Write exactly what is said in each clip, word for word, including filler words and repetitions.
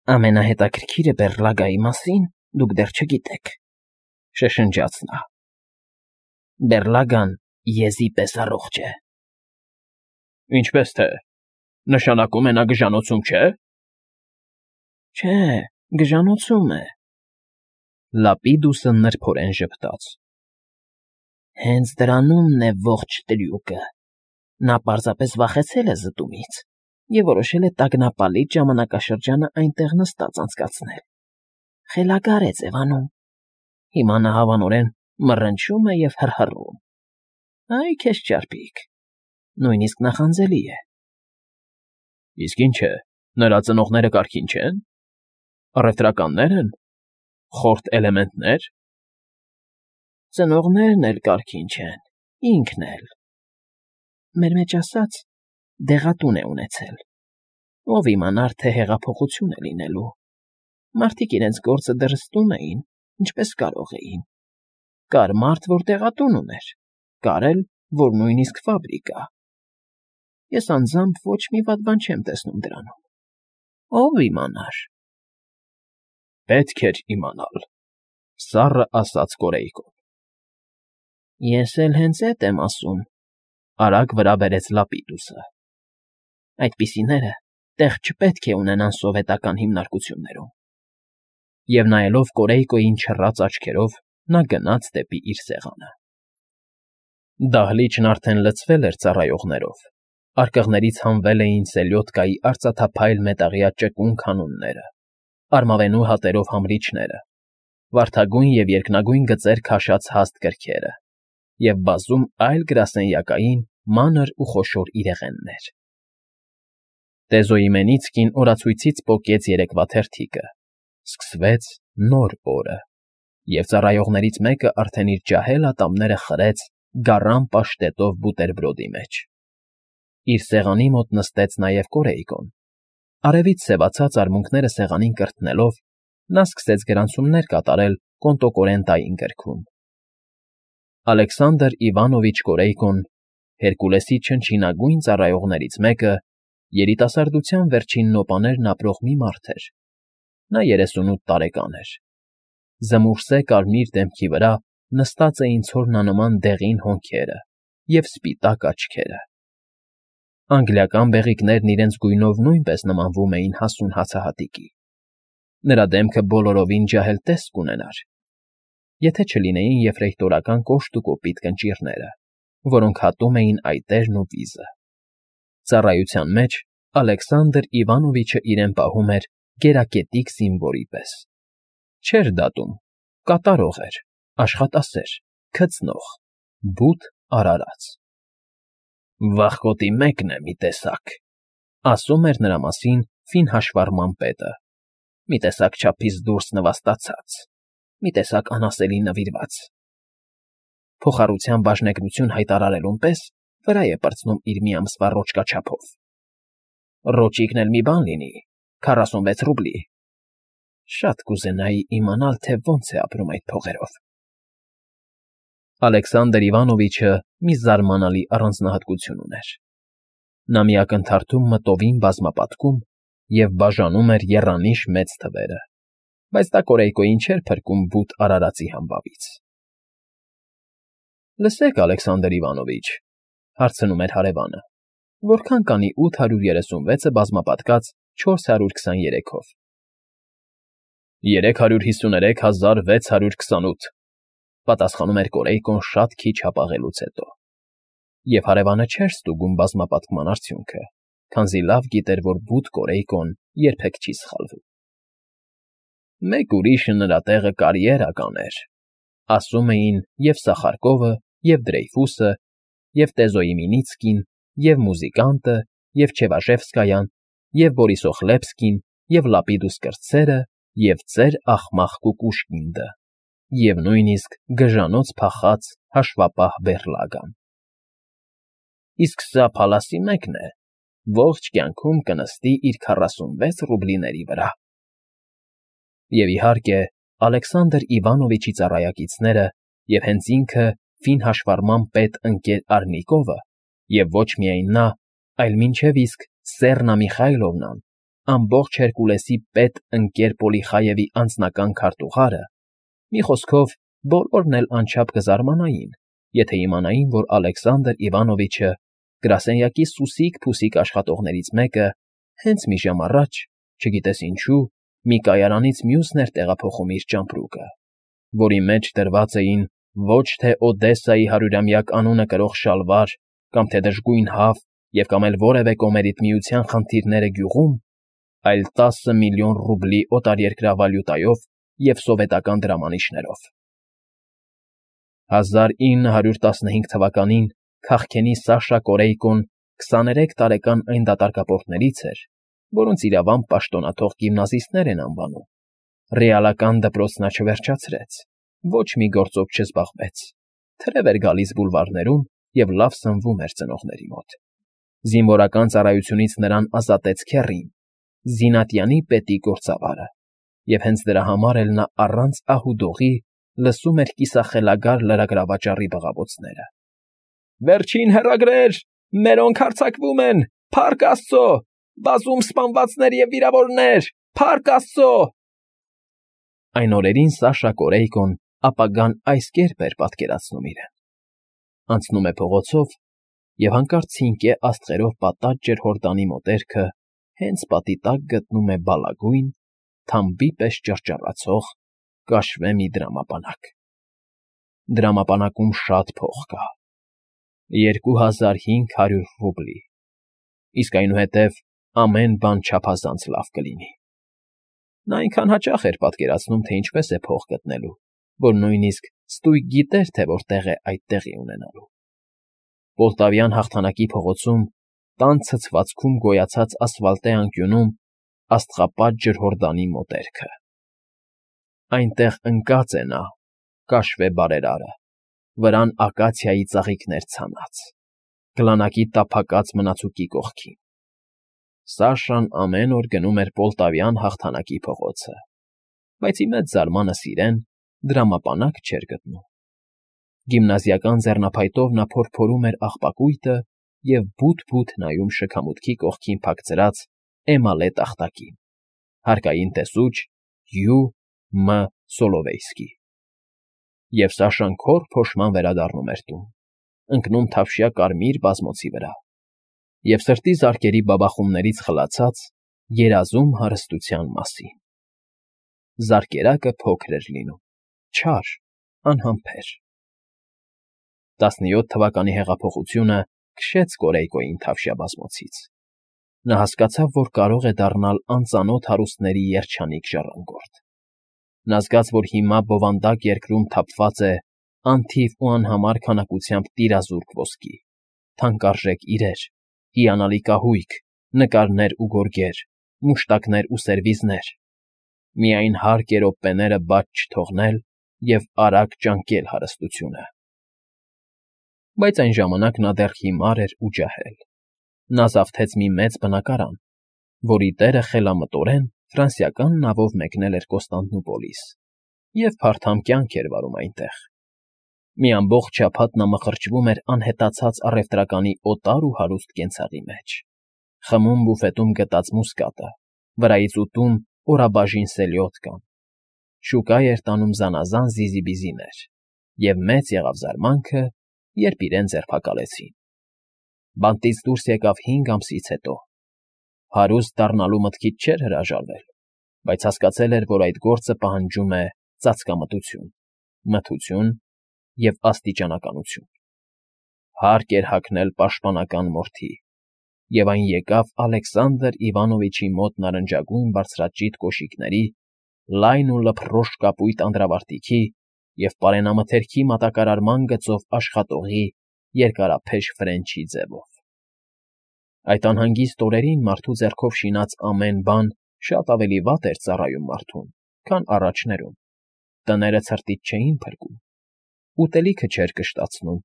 Ամենահետաքրքիրը Բեռլագայի մասին դուք դեռ չգիտեք,֊ շշնջաց նա։ Բեռլագան եզի պես առողջ է։ ֊ Ինչպես թե, նշանակում է նա գժանոցում չէ՞։ ֊ Չէ, գժանոցում է,֊ Լապիդուսը նրբորեն ժպտաց։ Հենց դրանումն է ողջ տրյուկը. նա պարզապես վախեցել է զտումից և որոշել է տագնապալից ժամանակաշրջանը այնտեղ նստած անցկացնել, խելագար է ձևանում, հիմա նա հավանորեն մռնչում է և հռհռում։ Այ քեզ ճարպիկ, նույնիսկ նախանձելի է։ ֊ Իսկ ինչ է, նրա ծնողները կարգին չե՞ն, առևտրականնե՞ր են, խորթ էլեմենտնե՞ր։ ֊ Ծնողներն էլ կարգին չեն, ինքն էլ, մեր մեջ ասած, դեղատուն է ունեցել, ով իմանար, թե հեղափոխություն է լինելու, մարդիկ իրենց գործը դեռ զտում էին, ինչպես կարող էին, կար մարդ, որ դեղատուն ուներ, կար էլ, որ նույնիսկ ֆաբրիկա։ Ես անձամբ ոչ մի վատ բան չեմ տեսնում դրանում, ով իմանար։ ֊ Պետք էր իմանալ,֊ սառը ասաց Կորեյկոն։ ֊ Ես էլ հենց էդ եմ ասում,֊ արագ վրա բերեց Լապիդուսը։ Այդպիսիները տեղ չպետք է ունենան սովետական հիմնարկություններում։ Եվ նայելով Կորեյկոյին չռած աչքերով, նա գնաց դեպի իր սեղանը։ Դահլիճն արդեն լցվել էր ծառայողներով, արկղներից հանվել էին սելյոդկայի արծաթափայլ մետաղյա ճկուն քանունները, արմավենու հատերով համրիչները, վարդագույն և երկնագույն գծեր քաշած հաստ կրքերը և բազում այլ գրասենյակային մանր ու խոշոր իրեղեններ։ Տեզոյմենիցկին օրացույցից պոկեց երեկվա թերթիկը, սկսվեց նոր օրը, և ծառայողներից մեկը արդեն իր ջահել ատամները խրեց գառան պաշտետով բուտերբրոդի մեջ։ Իր սեղանի մոտ նստեց նաև Կորեյկոն։ Արևից սևացած արմունկները սեղանին կրթնելով, նա սկսեց գրանցումներ կատարել կոնտոկորենտային գրքում։ Ալեքսանդր Իվանովիչ Կորեյկոն, Հերկուլեսի չնչինագույն ծառայողներից մեկը, երիտասարդության վերջին նոպաներն ապրող մի մարդ էր։ Նա երեսունութ տարեկան էր։ Զմուռսե կարմիր դեմքի վրա նստած էին ցորնանման դեղին հոնքերը և սպիտակ աչքերը։ Անգլիական բեղիկներն իրենց գույնով նույնպես նմանվում էին հասուն հացահատիկի։ Նրա դեմքը բոլորովին ջահել տեսք կունենար, եթե չլինեին եֆրեյտորական կոշտ ու կոպիտ կնճիռները, որոնք հատում էին այտերն ու վիզը։ Ծառայության մեջ Ալեքսանդր Իվանովիչը իրեն պահում էր գերակետիկ զինվորի պես։ Չէր դատում, կատարող էր, աշխատասեր, քծնող, բութ արարած։ «Վախկոտի մեկն է մի տեսակ,֊ ասում էր նրա մասին ֆին հաշվառման պետը,֊ մի տեսակ չափից դուրս նվաստացած, մի տեսակ անասելի նվիրված. փոխառության բաժնեկնություն հայտարարելուն պես վրա է պրծնում իր մի ամսվա ռոճկա չափով։ Ռոճիկն էլ մի բան լինի, քառասունվեց ռուբլի. շատ կուզենայի իմանալ, թե ոնց է ապրում այդ փողերով»։ Ալեքսանդր Իվանովիչը մի զարմանալի առանձնահատկություն ուներ. նա մի ակնթարթում մտովին բազմապատկում և բաժանում էր եռանիշ մեծ թվերը, բայց դա Կորեյկոյին չէր փրկում բութ արարածի համբավից։ ֊ Լսեք, Ալեքսանդր Իվանովիչ,֊ հարցնում էր հարևանը,֊ որքան կանի ութ հարյուր երեսունվեցը բազմապատկած չորս հարյուր քսաներեքով։ ֊ Երեք հարյուր հիսուներեք հազար վեց հարյուր քսանութ,֊ պատասխանում էր Կորեյկոն շատ քիչ հապաղելուց հետո, և հարևանը չէր ստուգում բազմապատկման արդյունքը, քանզի լավ գիտեր, որ բութ Կորեյկոն երբեք չի սխալվում։ ֊ Մեկ ուրիշը նրա տեղը կարիերա կաներ,֊ ասում էին և՛ Սախարկովը, և՛ Դրեյֆուսը, և՛ Տեզոյմինիցկին, և՛ Մուզիկանտը, և՛ Չևաշևսկայան, և՛ Բորիսոխլեպսկին, և՛ Լապիդուս կրտսերը, և ծեր աղմաղ Կուկուշկինդը, և նույնիսկ գժանոց փախած հաշվապահ Բեռլագան։ Իսկ սա փալասի մեկն է, ողջ կյանքում կնստի իր քառասունվեց ռուբլիների վրա։ Եվ, իհարկե, Ալեքսանդր Իվանովիչի ծառայակիցները և հենց ինքը ֆին հաշվառման պետ ընկեր Արնիկովը, և ոչ միայն նա, այլ մինչև իսկ Սեռնա Միխայլովնան, ամբողջ Հերկուլեսի պետ ընկեր Պոլիխայևի անձնական քարտուղարը, մի խոսքով, բոլորն էլ անչափ կզարմանային, եթե իմանային, որ Ալեքսանդր Իվանովիչը, գրասենյակի սուսիկ֊փուսիկ աշխատողներից մեկը, հենց մի ժամ առաջ, չգիտես ինչու, մի կայարանից մյուսն էր տեղափոխում իր ճամպրուկը, որի մեջ դրված էին ոչ թե Օդեսայի հարյուրամյակ անունը կրող շալվար կամ թե դժգույն հավ և կամ էլ որևէ կոմերիտմիության խնդիրները գյուղում, այլ տասը միլիոն ռուբլի օտարերկրյա վալյուտայով և սովետական դրամանիշներով։ հազար ինը հարյուր տասնհինգ թվականին քաղքենի Սաշա Կորեյկոն քսաներեք տարեկան այն դատարկապորտներից էր, որոնց իրավամբ պաշտոնաթող գիմնազիստներ են անվանում, ռեալական դպրոց նա չվերջացրեց, ոչ մի գործով չզբաղվեց, թրև էր գալիս բուլվարներում և լավ սնվում էր ծնողների մոտ։ Զինվորական ծառայությունից նրան ազատեց քեռին, Զինատյանի պետի գործավարը, և հենց դրա համար էլ նա առանց ահ ու դողի լսում էր կիսախելագար լրագրավաճառի բղավոցները. «Վերջին հեռագրեր, մերոնք հարձակվում են, փառք աստծո, բազում սպանվածներ և վիրավորներ, փառք աստծո»։ Այն օրերին Սաշա Կորեյկոն ապագան այս կերպ էր պատկերացնում իրեն. անցնում է փողոցով և հանկարծ ցինկե աստղերով պատած ջրհորդանի մոտերքը հենց պատի տակ գտնում է բալագույն, թամբի պես ճռճռացող, կաշվե մի դրամապանակ։ Դրամապանակում շատ փող կա՝ երկու հազար հինգ հարյուր ռուբլի, իսկ այնուհետև ամեն բան չափազանց լավ կլինի։ Նա այնքան հաճախ էր պատկերացնում, թե ինչպես է փող գտնելու, որ նույնիսկ ստույգ գիտեր, թե որտեղ է այդ տեղի ունենալու։ Պոլտավյան հաղթանակի փողոցում, տան ցցվածքում գոյացած ասֆալտե անկյունում աստղապատ ջրհորդանի մոտերքը։ Այնտեղ ընկած է նա, կաշվե բարերարը, վրան ակացիայի ծաղիկներ ցանած, գլանակի տափակած մնացուկի կողքին։ Սաշան ամեն օր գնում էր Պոլտավյան հաղթանակի փողոցը, բայց ի մեծ զարմանս իրեն դրամապանակ չէր գտնում։ Գիմնազիական ձեռնափայտով նա փորփորում էր աղբակույտը և բութ֊բութ նայում շքամուտքի կողքին փակցրած էմալե տախտակին, հարկային տեսուչ Յու Մ Սոլովեյսկի։ Եվ Սաշան քոր փոշման վերադառնում էր տուն, ընկնում թավշյա կարմիր բազմոցի վրա և սրտի զարկերի բաբախումներից խլացած երազում հարստության մասին։ Զարկերակը փոքր էր լինում, չար, անհամբեր։ տասնյոթ թվականի հեղափոխությունը քշեց Կորեյկոյին թավշյա բազմոցից։ Նա հասկացավ, որ կարող է դառնալ անծանոթ հարուստների երջանիկ ժառանգորդ։ Նա զգաց, որ հիմա բովանդակ երկրում թափված է անթիվ ու անհամար քանակությամբ տիրազուրկ ոսկի, թանկարժեք իրեր, հիանալի կահույք, նկարներ ու գորգեր, մուշտակներ ու սերվիզներ, միայն հարկ է րոպեները բաց չթողնել և արագ ճանկել հարստությունը։ Բայց այն ժամանակ նա դեռ հիմար էր ու ջահել։ Նա զավթեց մի մեծ բնակարան, որի տերը խելամտորեն ֆրանսիական նավով մեկնել էր Կոստանդնուպոլիս և փարթամ կյանք էր վարում այնտեղ։ Մի ամբողջ շաբաթ նա մխրճվում էր անհետացած առևտրականի օտար ու հարուստ կենցաղի մեջ, խմում բուֆետում գտած մուսկատը, վրայից ուտում օրաբաժին սելյոտկան, շուկա էր տանում զանազան զիզիբիզիներ, և մեծ եղավ զարմանքը, երբ իրեն ձերբակալեցին։ Բանտից դուրս եկավ հինգ ամսից հետո։ Հարուստ դառնալու մտքից չէր հրաժարվել, բայց հասկացել էր, որ այդ գործը պահանջում է ծածկամտություն, մթություն և աստիճանականություն։ Հարկ էր հագնել պաշտպանական մորթի, և այն եկավ Ալեքսանդր Իվանովիչի մոտ նարնջագույն բարձրաճիտ կոշիկների, լայն ու լփռոշ կապույտ անդրավարտիքի և պարենամթերքի մատակարարման գծով աշխատողի երկարափեշ ֆրենչի ձևով։ Այդ անհանգիստ օրերին մարդու ձեռքով շինած ամեն բան շատ ավելի վատ էր ծառայում մարդուն, քան առաջներում, տները ցրտից չէին փրկում, ուտելիքը չէր կշտացնում,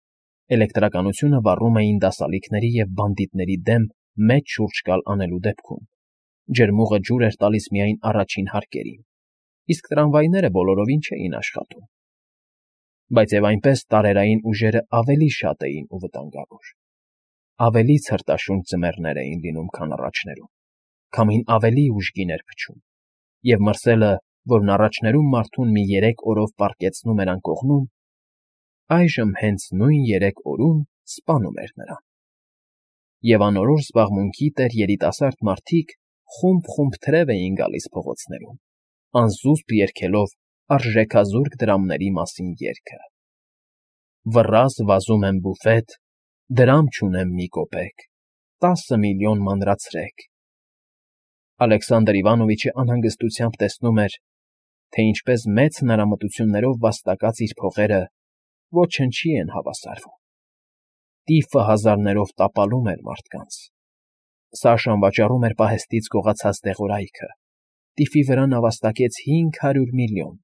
էլեկտրականությունը վառում էին դասալիքների և բանդիտների դեմ մեծ շուրջկալ անելու դեպքում, ջրմուղը ջուր էր տալիս միայն առաջին հարկերին, իսկ տրամվայները բոլորովին չէին աշխատում։ Բայց և այնպես տարերային ուժերը ավելի շատ էին ու վտանգավոր, ավելի ցրտաշունչ ձմեռներ էին լինում, քան առաջներում, քամին ավելի ուժգին էր փչում, և մրսելը, որն առաջներում մարդուն մի երեք օրով պառկեցնում էր անկողնում, այժմ հենց նույն երեք օրում սպանում էր նրան։ Եվ անորոշ զբաղմունքի տեր երիտասարդ մարդիկ խումբ֊խումբ թրև էին գալիս փողոցներում, անզուսպ երգելով արժեքազուրկ դրամների մասին երգը. Վռազ վազում եմ բուֆետ, դրամ չունեմ մի կոպեկ, տասը միլիոն մանրացրեք… Ալեքսանդր Իվանովիչը անհանգստությամբ տեսնում էր, թե ինչպես մեծ հնարամտություններով վաստակած իր փողերը ոչնչի են հավասարվում. տիֆը հազարներով տապալում էր մարդկանց, Սաշան վաճառում էր պահեստից գողացած դեղորայքը, տիֆի վրա նա վաստակեց հինգ հարյուր միլիոն,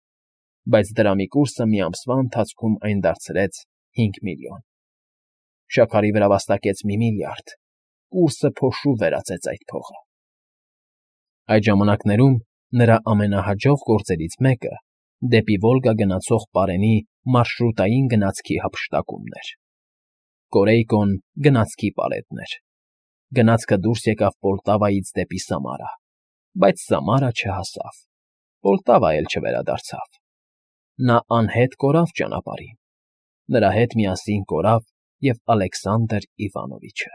բայց դրամի կուրսը մի ամսվա ընթացքում այն դարձրեց հինգ միլիոն, շաքարի վրա վաստակեց մի միլիարդ, կուրսը փոշու վերածեց այդ փողը… Այդ ժամանակներում նրա ամենահաջող գործերից մեկը դեպի Վոլգա գնացող պարենի մարշրուտային գնացքի հափշտակումն էր. Կորեյկոն գնացքի պարետն էր, գնացքը դուրս եկավ Պոլտավայից դեպի Սամարա, բայց Սամարա չհասավ, Պոլտավա էլ չվերադարձավ… Նա անհետ կորավ ճանապարհին, նրա հետ միասին կորավ և Ալեքսանդր Իվանովիչը։